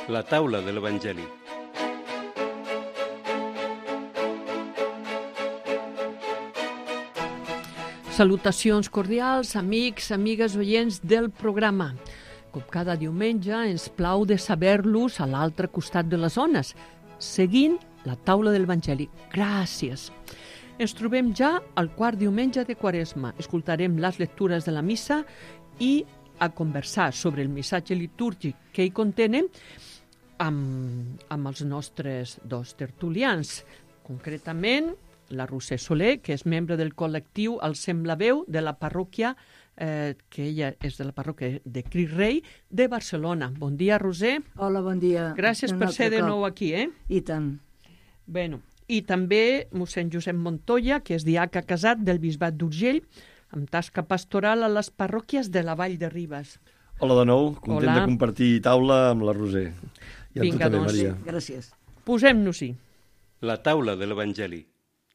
La taula de l'Evangeli. Salutacions cordials, amics, amigues, oients del programa. Com cada diumenge, ens plau de saber-los a l'altre costat de les ones, seguint la taula de l'Evangeli. Gràcies. Ens trobem ja al quart diumenge de Quaresma. Escoltarem les lectures de la missa i a conversar sobre el missatge litúrgic que hi contenen amb els nostres dos tertulians. Concretament, la Roser Soler, que és membre del col·lectiu El Semblaveu de la parròquia, que ella és de la parròquia de Crist Rei de Barcelona. Bon dia, Roser. Hola, bon dia. Gràcies per ser de nou aquí, I tant. Bueno, i també mossèn Josep Montoya, que és diaca casat del Bisbat d'Urgell, amb tasca pastoral a les parròquies de la Vall de Ribes. Hola de nou, content de compartir taula amb la Roser. I amb tu també, Maria. Gràcies. Posem-nos-hi. La taula de l'Evangeli.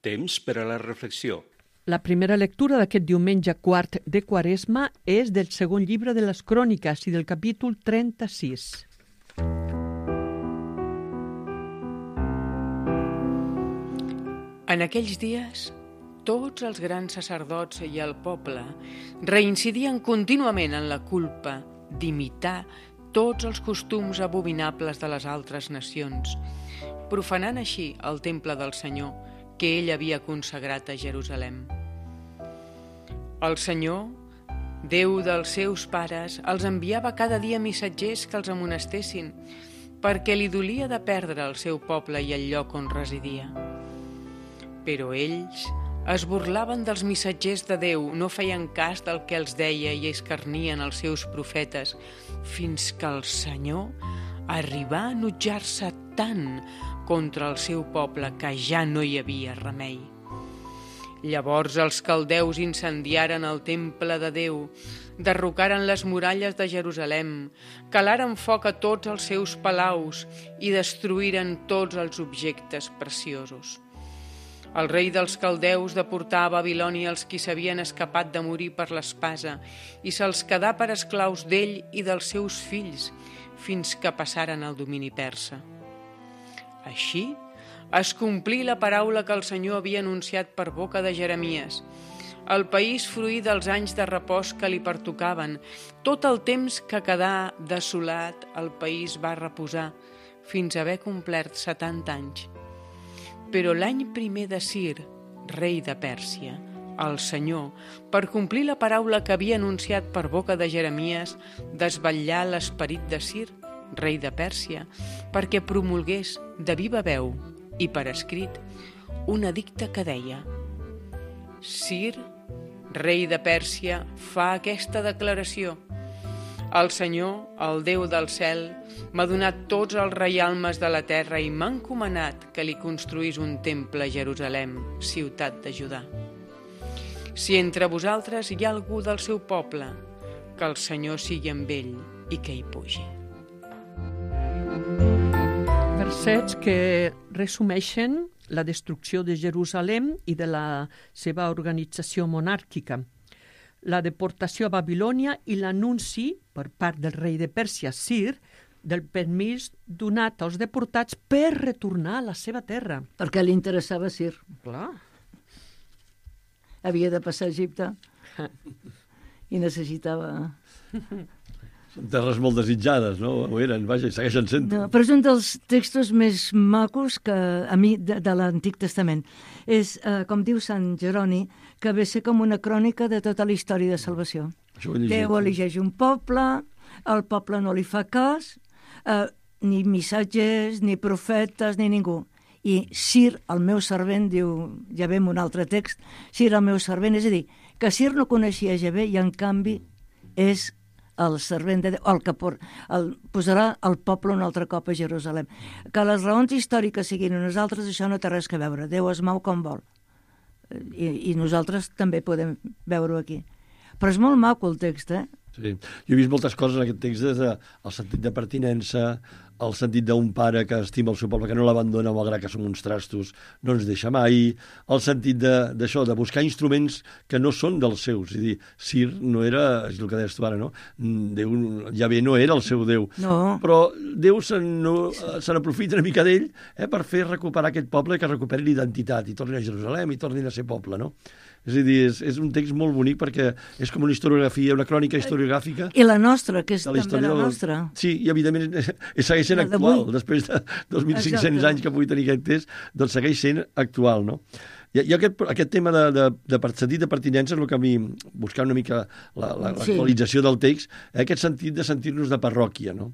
Temps per a la reflexió. La primera lectura d'aquest diumenge quart de Quaresma és del segon llibre de les Cròniques i del capítol 36. En aquells dies, tots els grans sacerdots i el poble reincidien contínuament en la culpa d'imitar tots els costums abominables de les altres nacions, profanant així el temple del Senyor que ell havia consagrat a Jerusalem. El Senyor, Déu dels seus pares, els enviava cada dia missatgers que els amonestessin, perquè li dolia de perdre el seu poble i el lloc on residia. Però ells es burlaven dels missatgers de Déu, no feien cas del que els deia i escarnien els seus profetes, fins que el Senyor arribà a enutjar-se tant contra el seu poble que ja no hi havia remei. Llavors els caldeus incendiaren el temple de Déu, derrocaren les muralles de Jerusalem, calaren foc a tots els seus palaus i destruïren tots els objectes preciosos. El rei dels caldeus deportà a Babilònia els qui s'havien escapat de morir per l'espasa i se'ls quedà per esclaus d'ell i dels seus fills fins que passaren al domini persa. Així es complí la paraula que el Senyor havia anunciat per boca de Jeremies. El país fruí dels anys de repòs que li pertocaven. Tot el temps que quedà desolat, el país va reposar fins a haver complert 70 anys. Però l'any primer de Cir, rei de Pèrsia, el Senyor, per complir la paraula que havia anunciat per boca de Jeremies, desvetllà l'esperit de Cir, rei de Pèrsia, perquè promulgués de viva veu i per escrit un edicte que deia: Cir, rei de Pèrsia, fa aquesta declaració: el Senyor, el Déu del cel, m'ha donat tots els reialmes de la terra i m'ha encomanat que li construís un temple a Jerusalem, ciutat de Judà. Si entre vosaltres hi ha algú del seu poble, que el Senyor sigui amb ell i que hi pugi. Versets que resumeixen la destrucció de Jerusalem i de la seva organització monàrquica, la deportació a Babilònia i l'anunci per part del rei de Pèrsia, Cir, del permís donat als deportats per retornar a la seva terra. Perquè li interessava Cir. Clar. Havia de passar a Egipte i necessitava... Són terres molt desitjades, no? Ho eren, vaja, i segueixen sent. No, però és un dels textos més macos que a mi de l'Antic Testament. És, com diu Sant Jeroni, que ve ser com una crònica de tota la història de salvació. Déu elegeix un poble, el poble no li fa cas, ni missatgers, ni profetes, ni ningú. I Cir, el meu servent, diu, ja ve un altre text, Cir, el meu servent, és a dir, que Cir no coneixia Javé i en canvi és el servent de Déu, el que posarà el poble un altre cop a Jerusalem. Que les raons històriques siguin nosaltres, això no té res a veure. Déu es mou com vol. I nosaltres també podem veure-ho aquí. Però és molt maco el text, Sí. Jo he vist moltes coses en aquest text, des del sentit de pertinença, el sentit d'un pare que estima el seu poble, que no l'abandona malgrat que som uns trastos, no ens deixa mai, el sentit d'això, de buscar instruments que no són dels seus. És a dir, Cir no era, és el que deies tu ara, no? Déu, Javé no era el seu Déu. No. Però Déu se n'aprofita una mica d'ell per fer recuperar aquest poble, que recuperi l'identitat, i tornin a Jerusalem, i tornin a ser poble, no? És a dir, és un text molt bonic perquè és com una historiografia, una crònica historiogràfica. I la nostra, que és també la nostra. Sí, i evidentment segueix sent actual. Després de 2.500 anys que pugui tenir aquest text, doncs segueix sent actual, no? I aquest tema de sentit de pertinença és el que a mi, buscar una mica l'actualització del text, aquest sentit de sentir-nos de parròquia, no?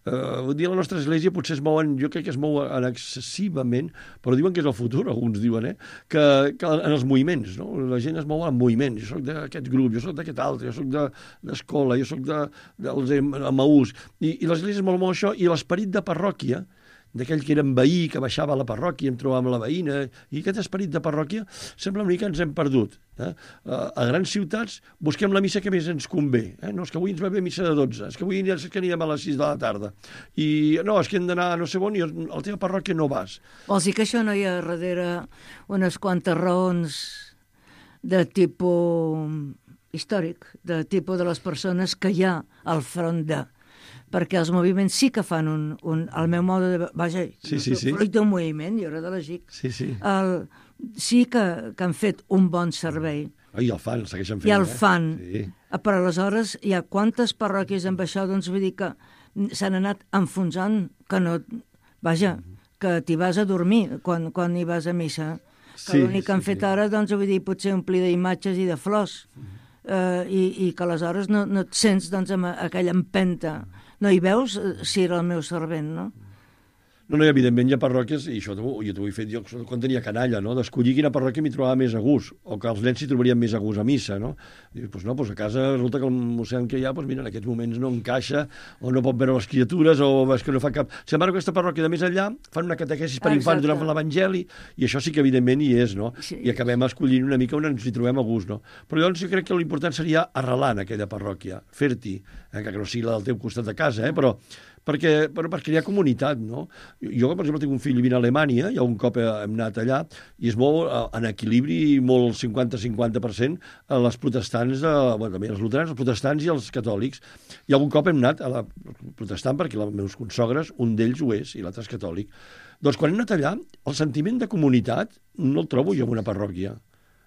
Un dia la nostra església potser es mouen, jo crec que es mou excessivament, però diuen que és el futur, alguns diuen, que en els moviments, no? La gent es mou en moviments. Jo soc d'aquest grup, jo soc d'aquest altre, jo soc d'escola, jo soc dels Emaús. I l'església es mou amb això, i l'esperit de parròquia, d'aquell que era en veí, que baixava a la parròquia, em trobava amb la veïna, i aquest esperit de parròquia sembla una mica que ens hem perdut. A grans ciutats busquem la missa que més ens convé. No, és que avui ens va bé missa de 12, és que avui que anirem a les 6 de la tarda. I no, és que hem d'anar a no sé on, i a la teva parròquia no vas. Vols dir que això no hi ha darrere unes quantes raons de tipus històric, de tipus de les persones que hi ha al front de... perquè els moviments sí que fan el meu mode de... Vaja, fruit d'un moviment, jo era de la GIC. Sí que han fet un bon servei. I el fan, segueixen fent. I el fan. Però aleshores hi ha quantes parròquies amb això, doncs vull dir que s'han anat enfonsant, que no... Vaja, que t'hi vas a dormir quan hi vas a missa. Que l'únic que han fet ara, doncs vull dir, potser omplir d'imatges i de flors. I que aleshores no et sents doncs amb aquella empenta. No hi veus si era el meu servent, no? No, evidentment hi ha parròquies, i això jo t'ho he fet jo quan tenia canalla, no? D'escollir quina parròquia m'hi trobava més a gust, o que els nens s'hi trobarien més a gust a missa, no? I doncs no, a casa resulta que el mossèn que hi ha, mira, en aquests moments no encaixa, o no pot veure les criatures, o és que no fa cap... Sin embargo, aquesta parròquia de més enllà fan una catequesis per infants durant l'Evangeli, i això sí que evidentment hi és, no? I acabem escollint una mica on ens hi trobem a gust, no? Però llavors jo crec que l'important seria arrelar en aquella parròquia, fer-t'hi, que no sigui la del teu costat de casa, però perquè hi ha comunitat, no? Jo, per exemple, tinc un fill vivint a Alemanya, i un cop hem anat allà, i es mou en equilibri molt 50-50% a les protestants, també els luterans, els protestants i els catòlics. I algun cop hem anat a la protestant, perquè els meus consogres, un d'ells ho és, i l'altre és catòlic. Doncs quan hem anat allà, el sentiment de comunitat no el trobo jo en una parròquia.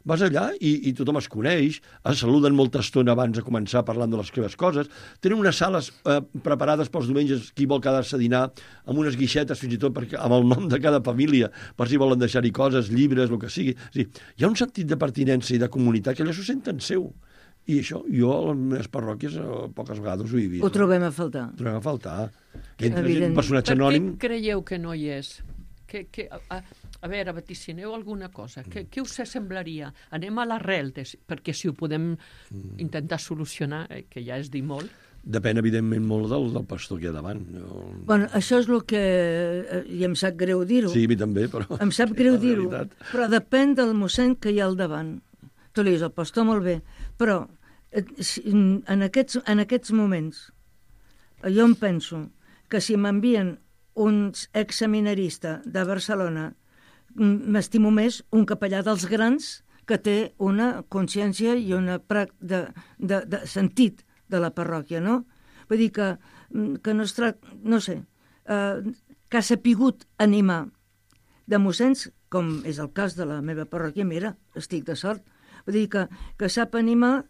Vas allà i tothom es coneix, es saluden molta estona abans de començar parlant de les seves coses, tenen unes sales preparades pels diumenges, qui vol quedar-se a dinar, amb unes guixetes fins i tot amb el nom de cada família, per si volen deixar-hi coses, llibres, el que sigui. Hi ha un sentit de pertinença i de comunitat que allò s'ho senten seu. I això, jo a les meves parròquies poques vegades ho he vist. Ho trobem a faltar. Ho trobem a faltar. Que entra un personatge anònim... Per què creieu que no hi és? A veure, vaticineu alguna cosa. Què us semblaria? Anem a l'arrel, perquè si ho podem intentar solucionar, que ja és dir molt. Depèn, evidentment, molt del pastor que hi ha davant. Bueno, això és el que... I em sap greu dir-ho. Sí, a mi també, però... Em sap greu dir-ho, però depèn del mossèn que hi ha al davant. Tu li dius, el pastor molt bé, però en aquests moments jo em penso que si m'envien un exseminarista de Barcelona, m'estimo més un capellà dels grans que té una consciència i una de sentit de la parròquia, no? Vull dir que no es tracta, no sé, que ha sapigut animar de mossens, com és el cas de la meva parròquia, mira, estic de sort, vull dir que sap animar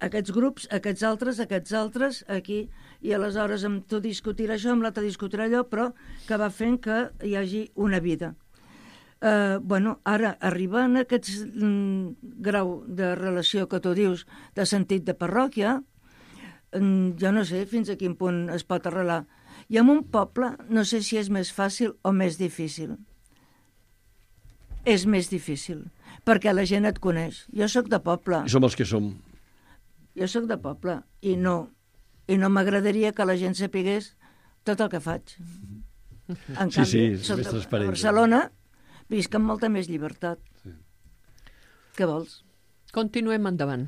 aquests grups, aquests altres, aquí, i aleshores amb tu discutirà això, amb l'altre discutirà allò, però que va fent que hi hagi una vida. Ara, arribar a aquest grau de relació que tu dius, de sentit de parròquia, jo no sé fins a quin punt es pot arrelar. I en un poble no sé si és més fàcil o més difícil. És més difícil, perquè la gent et coneix. Jo sóc de poble. I som els que som. Jo sóc de poble i no m'agradaria que la gent sapigués tot el que faig. En canvi, soc de Barcelona, visc amb molta més llibertat. Què vols? Continuem endavant.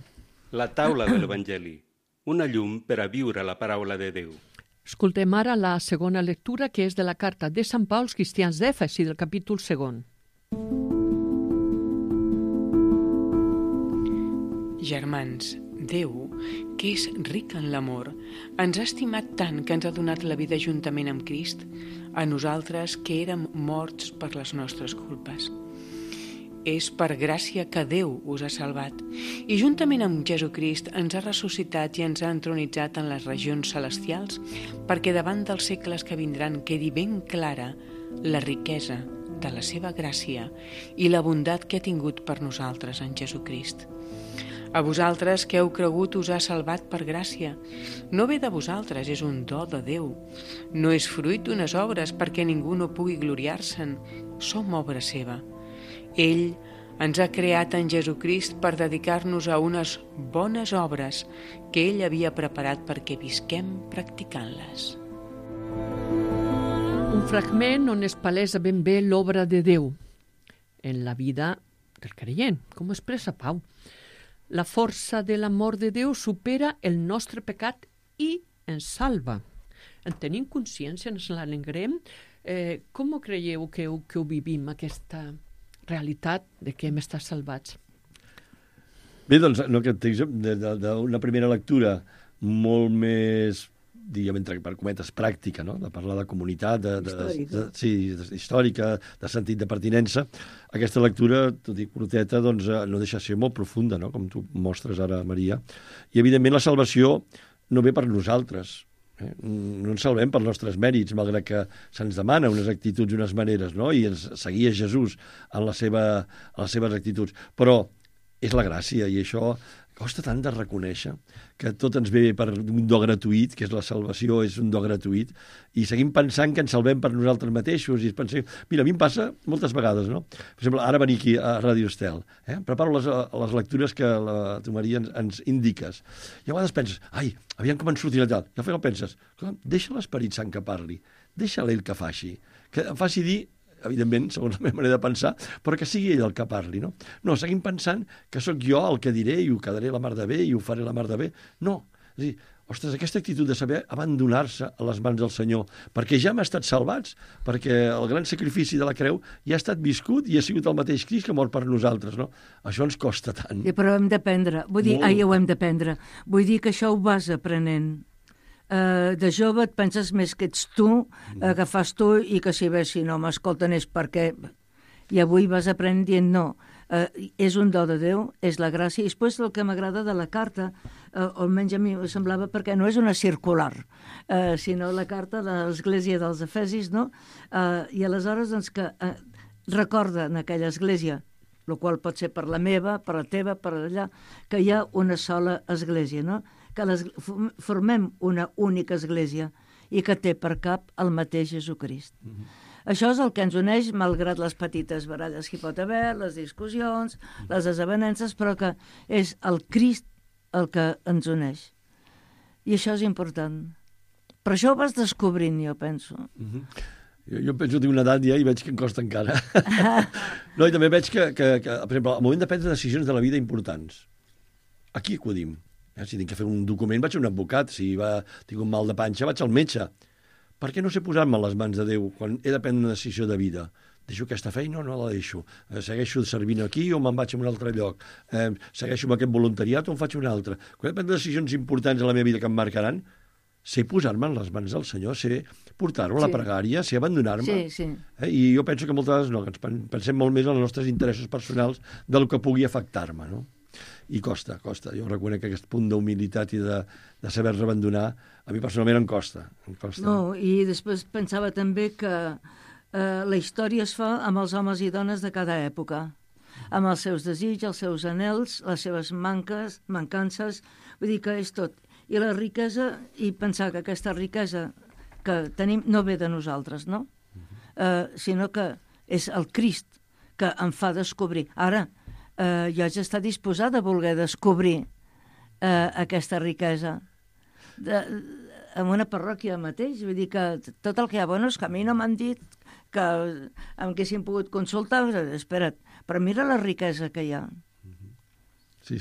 La taula de l'Evangeli, una llum per a viure la paraula de Déu. Escoltem ara la segona lectura, que és de la carta de Sant Pau als cristians d'Èfesi, del capítol 2. Germans, Déu, que és ric en l'amor, ens ha estimat tant que ens ha donat la vida juntament amb Crist, a nosaltres que érem morts per les nostres culpes. És per gràcia que Déu us ha salvat i juntament amb Jesucrist ens ha ressuscitat i ens ha entronitzat en les regions celestials perquè davant dels segles que vindran quedi ben clara la riquesa de la seva gràcia i la bondat que ha tingut per nosaltres en Jesucrist. A vosaltres que heu cregut us ha salvat per gràcia. No ve de vosaltres, és un do de Déu. No és fruit d'unes obres perquè ningú no pugui gloriar-se'n. Som obra seva. Ell ens ha creat en Jesucrist per dedicar-nos a unes bones obres que ell havia preparat perquè visquem practicant-les. Un fragment on es palesa ben bé l'obra de Déu en la vida del creient, com expressa Pau. La força de l'amor de Déu supera el nostre pecat i ens salva. En tenim consciència, ens l'alegrem. Com creieu que ho vivim, aquesta realitat de que hem estat salvats? Bé, doncs, no, que tens d'una primera lectura molt més, diguem, per cometes, pràctica, no? De parlar de comunitat, històrica, de sentit de pertinença. Aquesta lectura, tot i curteta, doncs, no deixa de ser molt profunda, no? Com tu mostres ara, Maria. I, evidentment, la salvació no ve per nosaltres. No ens salvem per nostres mèrits, malgrat que se'ns demana unes actituds i unes maneres, no? I ens seguia Jesús en les seves actituds. Però és la gràcia, i això costa tant de reconèixer, que tot ens ve per un do gratuït, que és la salvació, és un do gratuït, i seguim pensant que ens salvem per nosaltres mateixos, i pensem... Mira, a mi em passa moltes vegades, no? Per exemple, ara venir aquí a Ràdio Estel, preparo les lectures que tu, Maria, ens indiques, i a vegades penses, ai, aviam com ens sortirà tal, i al final penses, deixa l'Esperit Sant que parli, deixa-la ell que faci dir, evidentment, segons la meva manera de pensar, però que sigui ell el que parli, no? No, seguim pensant que sóc jo el que diré i ho quedaré la mar de bé i ho faré la mar de bé. No, és a dir, ostres, aquesta actitud de saber abandonar-se a les mans del Senyor, perquè ja hem estat salvats, perquè el gran sacrifici de la creu ja ha estat viscut i ha sigut el mateix Crist que mor per nosaltres, no? Això ens costa tant. Sí, però hem d'aprendre, ho hem d'aprendre. Vull dir que això ho vas aprenent. De jove et penses més que ets tu, que fas tu, i que si bé, si no m'escolten és perquè... I avui vas aprenent dient no, és un do de Déu, és la gràcia. I després el que m'agrada de la carta, o almenys a mi em semblava, perquè no és una circular, sinó la carta de l'Església dels Efesis, no? I aleshores, doncs, que recorda en aquella església, el qual pot ser per la meva, per la teva, per allà, que hi ha una sola església, no? Que formem una única església i que té per cap el mateix Jesucrist. Això és el que ens uneix, malgrat les petites baralles que hi pot haver, les discussions, les desavenences, però que és el Crist el que ens uneix. I això és important. Per això ho vas descobrint, jo penso. Jo penso que tinc una edat ja i veig que em costa encara. No, i també veig que, per exemple, al moment de prendre decisions de la vida importants, aquí acudim. Si tinc que fer un document, vaig a un advocat. Si tinc un mal de panxa, vaig al metge. Per què no sé posar-me a les mans de Déu quan he de prendre una decisió de vida? Deixo aquesta feina o no la deixo? Segueixo servint aquí o me'n vaig a un altre lloc? Segueixo amb aquest voluntariat o en faig un altre? Quan he de prendre decisions importants a la meva vida que em marcaran, sé posar-me en les mans del Senyor, sé portar-ho a la pregària, sé abandonar-me. Sí. I jo penso que moltes vegades no, que ens pensem molt més en els nostres interessos personals del que pugui afectar-me, no? I costa. Jo reconec que aquest punt d'humilitat i de saber-se abandonar, a mi personalment em costa. No, i després pensava també que la història es fa amb els homes i dones de cada època, amb els seus desitjos, els seus anhels, les seves mancances, vull dir que és tot. I la riquesa, i pensar que aquesta riquesa que tenim no ve de nosaltres, no? Sinó que és el Crist que em fa descobrir. Ara, jo haig d'estar disposada a voler descobrir aquesta riquesa en una parròquia mateix. Vull dir que tot el que hi ha bones, que a mi no m'han dit que em haguessin pogut consultar. Espera't, però mira la riquesa que hi ha. Sí.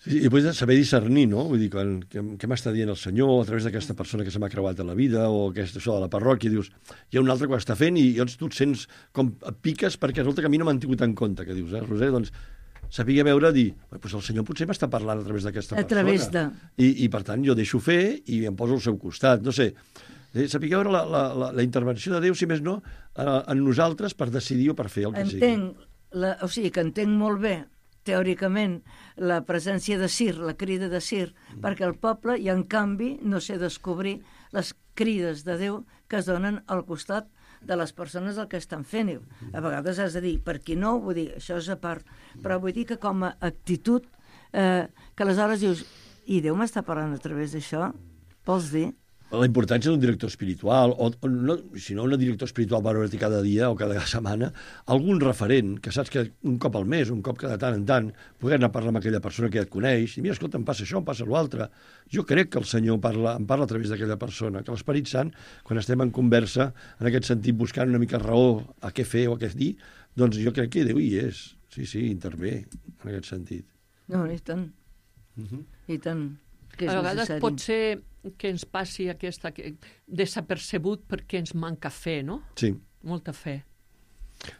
Sí, i després saber discernir, no? Vull dir, què m'està dient el Senyor a través d'aquesta persona que se m'ha creuat a la vida o això de la parròquia, dius, hi ha un altre que ho està fent i llavors tu et sents com et piques perquè resulta que a mi no m'han tingut en compte, que dius, Roser, doncs sabia veure, dir, doncs el Senyor potser m'està parlant a través d'aquesta persona. A través de... I per tant jo deixo fer i em poso al seu costat, no sé. Sabia veure la intervenció de Déu, si més no, en nosaltres per decidir o per fer el que sigui. O sigui que entenc molt bé teòricament, la presència de Sir, la crida de Sir, perquè el poble, i en canvi, no sé descobrir les crides de Déu que es donen al costat de les persones el que estan fent. A vegades has de dir, per qui no, vull dir, això és a part. Però vull dir que com a actitud, que aleshores dius, i Déu m'està parlant a través d'això, vols dir? La importància d'un director espiritual, o no, si no un director espiritual per veure cada dia o cada setmana, algun referent, que saps que un cop al mes, un cop cada tant en tant, poder anar a parlar amb aquella persona que ja et coneix, i mira, escolta, em passa això, em passa l'altre. Jo crec que el Senyor em parla a través d'aquella persona, que l'Esperit Sant, quan estem en conversa, en aquest sentit, buscant una mica raó a què fer o a què dir, doncs jo crec que Déu hi és. Sí, intervé, en aquest sentit. No, i tant. I tant. A vegades pot ser que ens passi aquesta desapercebut perquè ens manca fe, no? Sí. Molta fe.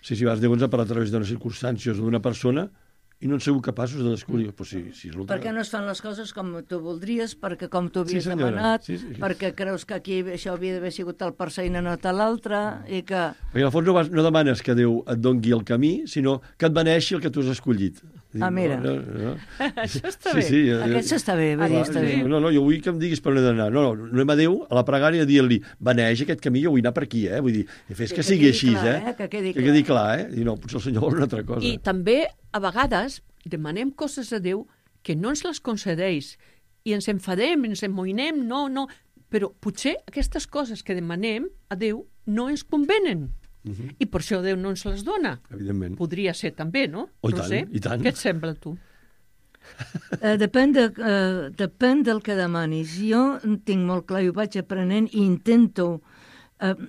Sí, Déu ens ha parlat a través d'unes circumstàncies o d'una persona i no han sigut capaços de descobrir. Pues sí, per què no es fan les coses com tu voldries, perquè com tu havies demanat, perquè creus que aquí això havia d'haver sigut tal persona i no tal l'altre, i que... Perquè al fons no demanes que Déu et doni el camí, sinó que et beneixi el que tu has escollit. Mira. No. Això està bé. Aquest està bé, està bé. No, jo vull que em diguis per on he d'anar. No, anem a Déu, a la pregària, a dir-li, beneix aquest camí, jo vull anar per aquí, Vull dir, fes que sigui així, Que quedi clar, I no, potser el Senyor vol una altra cosa. I també, a vegades, demanem coses a Déu que no ens les concedeix i ens enfadem, ens emmoïnem, no. Però potser aquestes coses que demanem a Déu no ens convenen. I per això Déu no ens les dona. Evidentment. Podria ser també, no? Roser? I tant. Què et sembla, tu? Depèn del que demanis. Jo tinc molt clar, i ho vaig aprenent i intento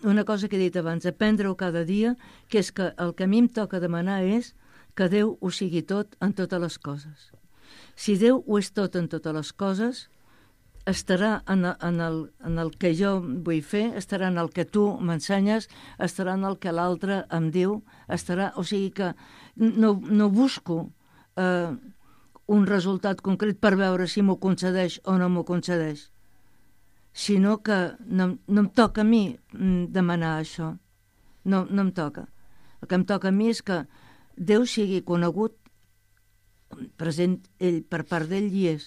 una cosa que he dit abans, aprendre-ho cada dia, que és que el que a mi em toca demanar és que Déu ho sigui tot en totes les coses. Si Déu ho és tot en totes les coses, estarà en el que jo vull fer, estarà en el que tu m'ensenyes, estarà en el que l'altre em diu, o sigui que no busco un resultat concret per veure si m'ho concedeix o no m'ho concedeix, sinó que no em toca a mi demanar això. No em toca. El que em toca a mi és que Déu sigui conegut, present ell, per part d'ell hi és,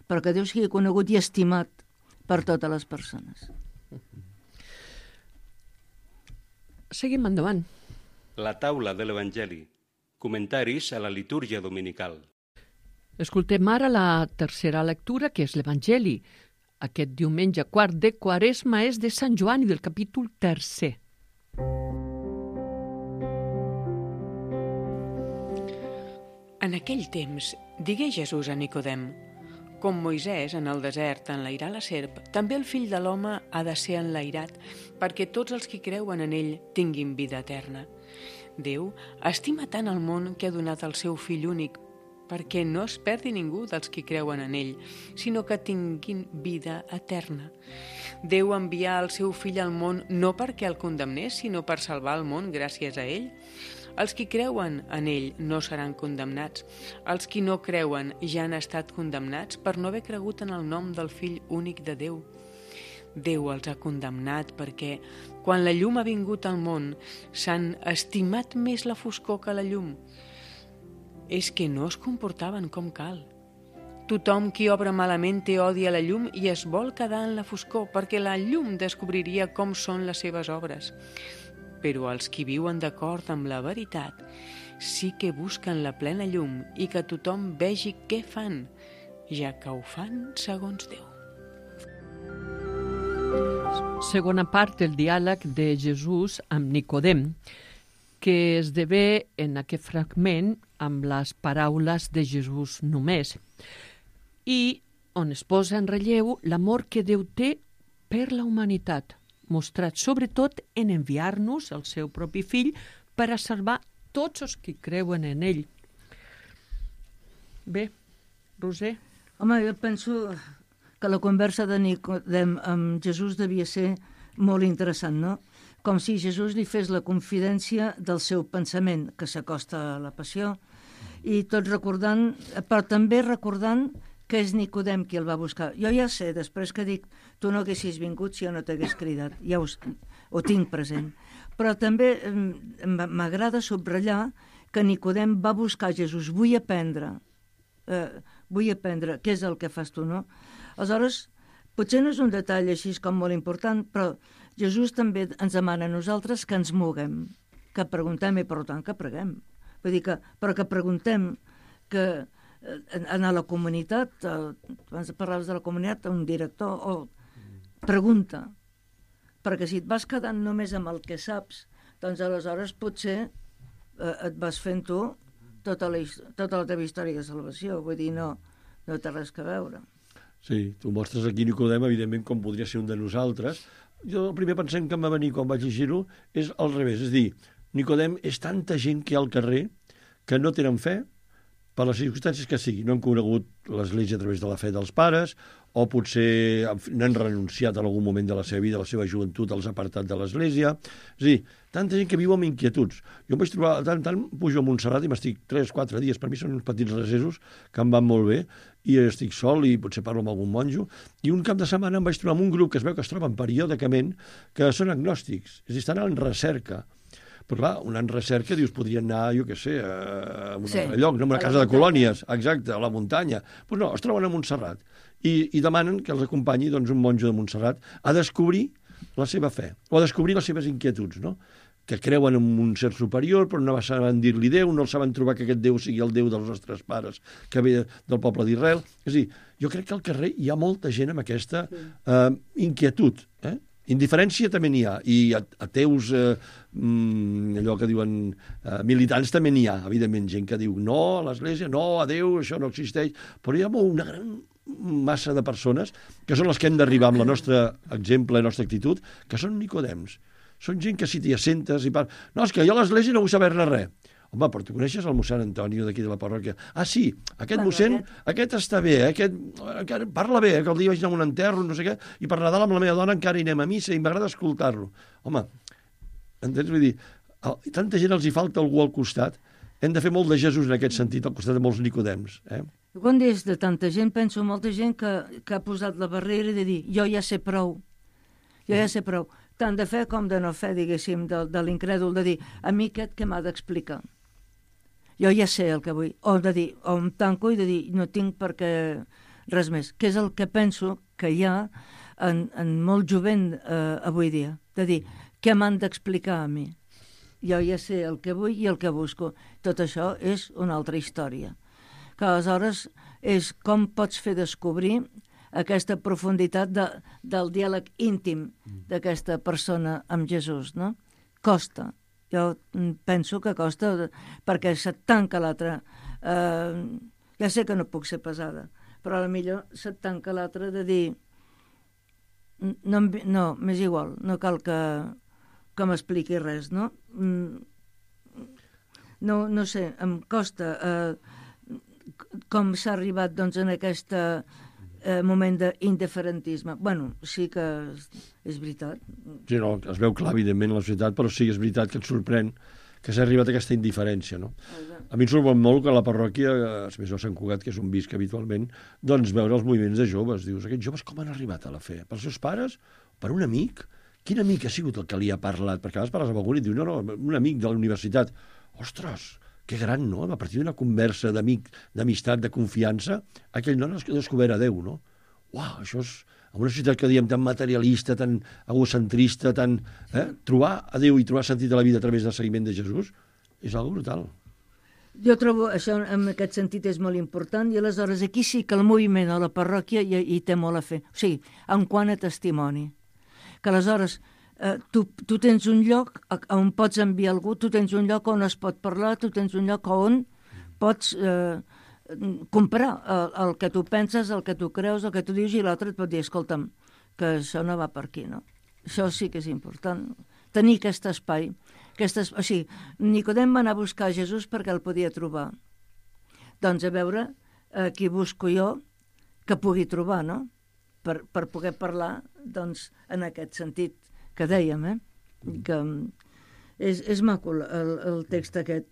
però que Déu sigui conegut i estimat per totes les persones. Seguim endavant. La taula de l'Evangeli. Comentaris a la litúrgia dominical. Escoltem ara la tercera lectura, que és l'Evangeli. Aquest diumenge quart de Quaresma és de Sant Joan i del capítol 3. En aquell temps, digué Jesús a Nicodem: com Moisès en el desert enlairà la serp, també el fill de l'home ha de ser enlairat, perquè tots els que creuen en ell tinguin vida eterna. Déu estima tant el món que ha donat el seu fill únic, perquè no es perdi ningú dels que creuen en ell, sinó que tinguin vida eterna. Déu envià el seu fill al món no perquè el condemnés, sinó per salvar el món gràcies a ell. Els qui creuen en ell no seran condemnats. Els qui no creuen ja han estat condemnats per no haver cregut en el nom del fill únic de Déu. Déu els ha condemnat perquè, quan la llum ha vingut al món, s'han estimat més la foscor que la llum. És que no es comportaven com cal. Tothom qui obra malament té odi a la llum i es vol quedar en la foscor, perquè la llum descobriria com són les seves obres. Però els qui viuen d'acord amb la veritat sí que busquen la plena llum i que tothom vegi què fan, ja que ho fan segons Déu. Segona part del diàleg de Jesús amb Nicodem, que esdevé en aquest fragment amb les paraules de Jesús només, i on es posa en relleu l'amor que Déu té per la humanitat, mostrat sobretot en enviar-nos el seu propi fill per a salvar tots els que creuen en ell. Bé, Roser. Home, jo penso que la conversa de Nicodem amb Jesús devia ser molt interessant, no? Com si Jesús li fes la confidència del seu pensament, que s'acosta a la passió, i tot recordant, però també recordant que és Nicodem qui el va buscar. Jo ja sé, després que dic, tu no haguessis vingut si jo no t'hagués cridat, ja ho tinc present. Però també m'agrada subratllar que Nicodem va buscar Jesús. Vull aprendre, què és el que fas tu, no? Aleshores, potser no és un detall així com molt important, però Jesús també ens demana a nosaltres que ens moguem, que preguntem i, per tant, que preguem. Vull dir però que preguntem, que anar a la comunitat, abans parlaves de la comunitat, un director, o pregunta, perquè si et vas quedant només amb el que saps, doncs aleshores potser et vas fent tu tota la teva història de salvació, vull dir, no té res a veure. Sí, tu mostres aquí Nicodem, evidentment, com podria ser un de nosaltres. Jo el primer pensament que em va venir quan vaig llegir-ho és al revés, és dir, Nicodem és tanta gent que hi ha al carrer que no tenen fe per les circumstàncies que sigui. No han conegut l'Església a través de la fe dels pares, o potser n'han renunciat en algun moment de la seva vida, la seva joventut els ha apartat de l'Església. És a dir, tanta gent que viu amb inquietuds. Jo em vaig trobar, tant pujo a Montserrat i m'estic 3-4 dies, per mi són uns petits recessos que em van molt bé, i estic sol i potser parlo amb algun monjo, i un cap de setmana em vaig trobar amb un grup que es veu que es troben periòdicament, que són agnòstics, és a dir, estan en recerca. Però clar, una en recerca, dius, podrien anar, jo què sé, a un altre lloc, no? A una casa de colònies, exacte, a la muntanya. Doncs no, es troben a Montserrat i demanen que els acompanyi un monjo de Montserrat a descobrir la seva fe, o a descobrir les seves inquietuds, no? Que creuen en un ser superior, però no saben dir-li Déu, no saben trobar que aquest Déu sigui el Déu dels nostres pares, que ve del poble d'Israel. És a dir, jo crec que al carrer hi ha molta gent amb aquesta inquietud, indiferència també n'hi ha, i ateus, allò que diuen militants també n'hi ha, evidentment, gent que diu no a l'Església, no a Déu, això no existeix, però hi ha una gran massa de persones que són les que hem d'arribar amb la nostra exemple, la nostra actitud, que són Nicodems. Són gent que si t'hi assentes i parles... No, és que jo a l'Església no vull saber-ne res. Home, però tu coneixes el mossèn Antonio d'aquí de la parròquia? Ah, sí, aquest mossèn, aquest està bé, aquest parla bé, que el dia vaig anar a un enterro, no sé què, i per Nadal amb la meva dona encara hi anem a missa i m'agrada escoltar-lo. Home, entens? Vull dir, tanta gent els hi falta algú al costat. Hem de fer molt de Jesús en aquest sentit, al costat de molts Nicodems. Quan dius de tanta gent, penso molta gent que ha posat la barrera de dir jo ja sé prou, tant de fe com de no fe, diguéssim, de l'incrèdul, de dir a mi aquest que m'ha d'explicar. Jo ja sé el que vull, o de dir, o em tanco i de dir no tinc per què res més, que és el que penso que hi ha en molt jovent avui dia, de dir, què m'han d'explicar a mi? Jo ja sé el que vull i el que busco. Tot això és una altra història. Que aleshores és com pots fer descobrir aquesta profunditat del diàleg íntim d'aquesta persona amb Jesús, no? Costa. Jo penso que costa perquè se't tanca l'altre. Ja sé que no puc ser pesada, però potser se't tanca l'altre de dir no, m'és igual, no cal que m'expliqui res, no? No sé, em costa com s'ha arribat en aquest moment d'indiferentisme. Bueno, sí que és veritat. Sí, no, es veu clar, evidentment, la societat, però sí, és veritat que et sorprèn que s'ha arribat a aquesta indiferència, no? A mi em sorprèn molt que a la parròquia, més no Sant Cugat, que és un visc habitualment, doncs veure els moviments de joves. Dius, aquests joves com han arribat a la fe? Pels seus pares? Per un amic? Quin amic ha sigut el que li ha parlat? Perquè a vegades parles amb algú i diu, no, un amic de la universitat. Ostres, que gran, no? A partir d'una conversa d'amistat, de confiança, aquell nen ha descobert a Déu, no? Uau, això és... En una societat que diem tan materialista, tan egocentrista, tan... Trobar a Déu i trobar sentit a la vida a través del seguiment de Jesús és algo brutal. Jo trobo això en aquest sentit és molt important i aleshores aquí sí que el moviment a la parròquia hi té molt a fer. O sigui, en quant a testimoni. Que aleshores tu tens un lloc on pots enviar algú, tu tens un lloc on es pot parlar, tu tens un lloc on pots comprar el que tu penses, el que tu creus, el que tu dius, i l'altre et pot dir, escolta'm, que això no va per aquí, no? Això sí que és important. Tenir aquest espai. O sigui, Nicodem va anar a buscar Jesús perquè el podia trobar. Doncs a veure, qui busco jo que pugui trobar, no? Per poder parlar, doncs, en aquest sentit que dèiem, que és maco el text aquest.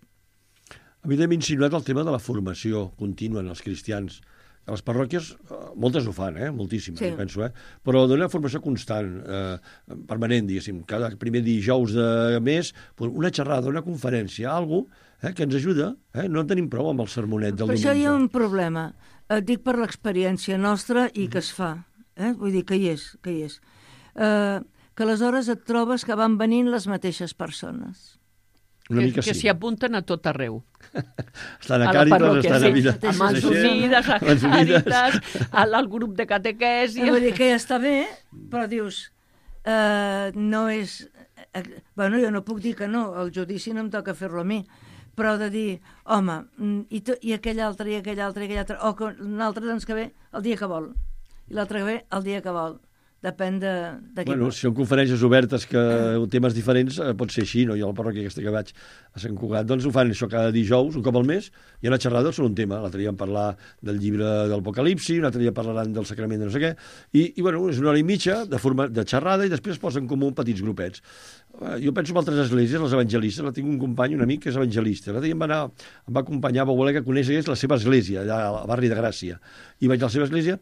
A mi m'he insinuat el tema de la formació contínua en els cristians. A les parròquies, moltes ho fan, moltíssimes, penso, però donar formació constant, permanent, diguéssim, cada primer dijous de mes, una xerrada, una conferència, alguna que ens ajuda, no en tenim prou amb el sermonet del diumenge. Per això hi ha un problema, et dic per l'experiència nostra i que es fa, vull dir que hi és, que aleshores et trobes que van venint les mateixes persones. Que s'hi apunten a tot arreu. Estan a Càritas, estan a Vida. A Mans Unides, a Càritas, al grup de catequesi. Vull dir que ja està bé, però dius, no és... Bueno, jo no puc dir que no, el judici no em toca fer-lo a mi, però de dir, home, i aquell altre, i aquell altre, i aquell altre, o que un altre doncs que ve el dia que vol, i l'altre que ve el dia que vol. Depèn de qui. Bueno, si són conferències obertes que temes diferents, pot ser així, no? Jo a la parròquia aquesta que vaig a Sant Cugat, doncs ho fan això cada dijous, un cop al mes, i a la xerrada sobre un tema. L'altre dia vam parlar del llibre de l'Apocalipsi, un altre dia parlaran del sacrament de no sé què, i bueno, és una hora i mitja de xerrada i després es posen en comú petits grupets. Jo penso en altres esglésies, les evangelistes, tinc un company, un amic que és evangelista. L'altre dia em va acompanyar, va voler que conegués la seva església, allà al barri de Gràcia. I vaig a la seva església.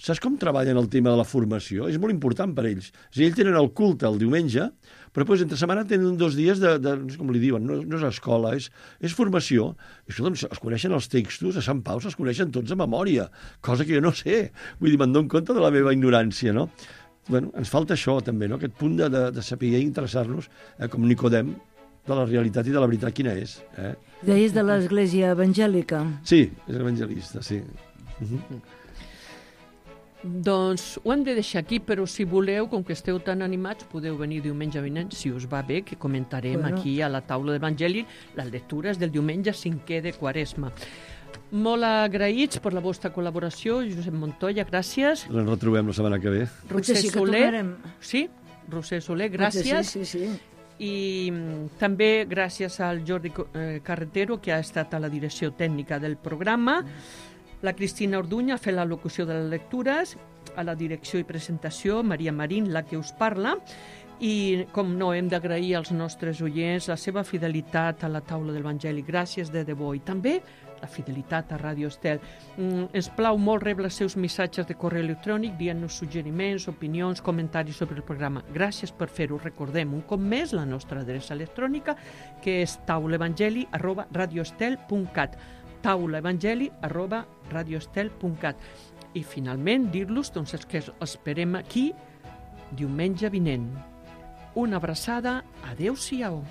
Saps com treballen el tema de la formació? És molt important per ells. És a dir, ells tenen el culte el diumenge, però després entre setmana tenen 2 dies de no sé com li diuen, no és escola, és formació. I escolta'm, es coneixen els textos, a Sant Pau se'ls coneixen tots a memòria, cosa que jo no sé. Vull dir, me'n dono compte de la meva ignorància, no? Bueno, ens falta això també, no? Aquest punt de saber i interessar-nos, com Nicodem, de la realitat i de la veritat quina és. Deies de l'església evangèlica? Sí, és evangelista, sí. Doncs ho hem de deixar aquí, però si voleu, com que esteu tan animats, podeu venir diumenge vinent, si us va bé, que comentarem aquí a la taula d'Evangeli les lectures del diumenge 5è de Quaresma. Molt agraïts per la vostra col·laboració, Josep Montoya, gràcies. Ens retrobem la setmana que ve. Roser Soler. Sí, Roser Soler, gràcies. Sí. I també gràcies al Jordi Carretero, que ha estat a la direcció tècnica del programa. La Cristina Orduña ha fet la locució de les lectures, a la direcció i presentació, Maria Marín, la que us parla, i, com no, hem d'agrair als nostres oients la seva fidelitat a la taula de l'Evangeli. Gràcies de debò. I també la fidelitat a Ràdio Estel. Ens plau molt rebre els seus missatges de correu electrònic, dient-nos suggeriments, opinions, comentaris sobre el programa. Gràcies per fer-ho. Recordem un cop més la nostra adreça electrònica, que és taulaevangeli@radioestel.cat. taulaevangeli@radioestel.cat. I finalment dir-los doncs, que esperem aquí diumenge vinent. Una abraçada, adeu-siau.